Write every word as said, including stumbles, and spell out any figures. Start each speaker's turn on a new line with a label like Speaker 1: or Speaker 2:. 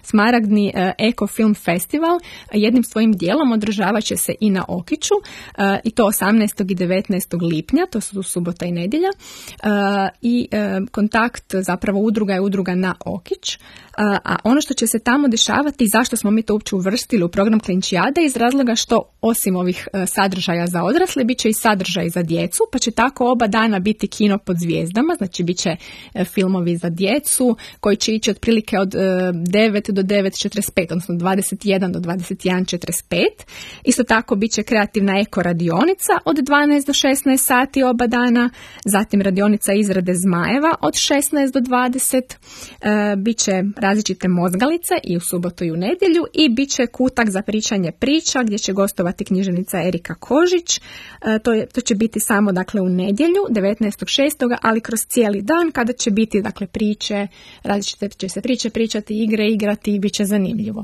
Speaker 1: Smaragdni uh, Eko Film Festival jednim svojim dijelom održavat će se i na Okiću uh, i to osamnaestog i devetnaestog lipnja, to su subota i nedjelja. Uh, I uh, kontakt zapravo udruga je udruga Na Okić. Uh, a ono što će se tamo dešavati i zašto smo mi to uopće uvrstili u program Klinčijade iz razloga što osim ovih uh, sadržaja za odrasle bit će i sadržaj za djecu, pa će tako oba dana biti kino pod zvijezdama, znači bit će uh, filmovi za djecu koji će ići otprilike od uh, devet do devet četrdeset pet, odnosno dvadeset jedan do dvadeset jedan četrdeset pet. Isto tako bit će kreativna eko radionica od dvanaest do šesnaest sati oba dana, zatim radionica izrade zmajeva od šesnaest do dvadeset, uh, bit će različite mozgalice i u subotu i u nedjelju i bit će kutak za pričanje priča gdje će gostovati književnica Erika Kožić. E, to, je, to će biti samo dakle u nedjelju devetnaestog šestog ali kroz cijeli dan kada će biti dakle priče, različite će se priče pričati, igre igrati i bit će zanimljivo.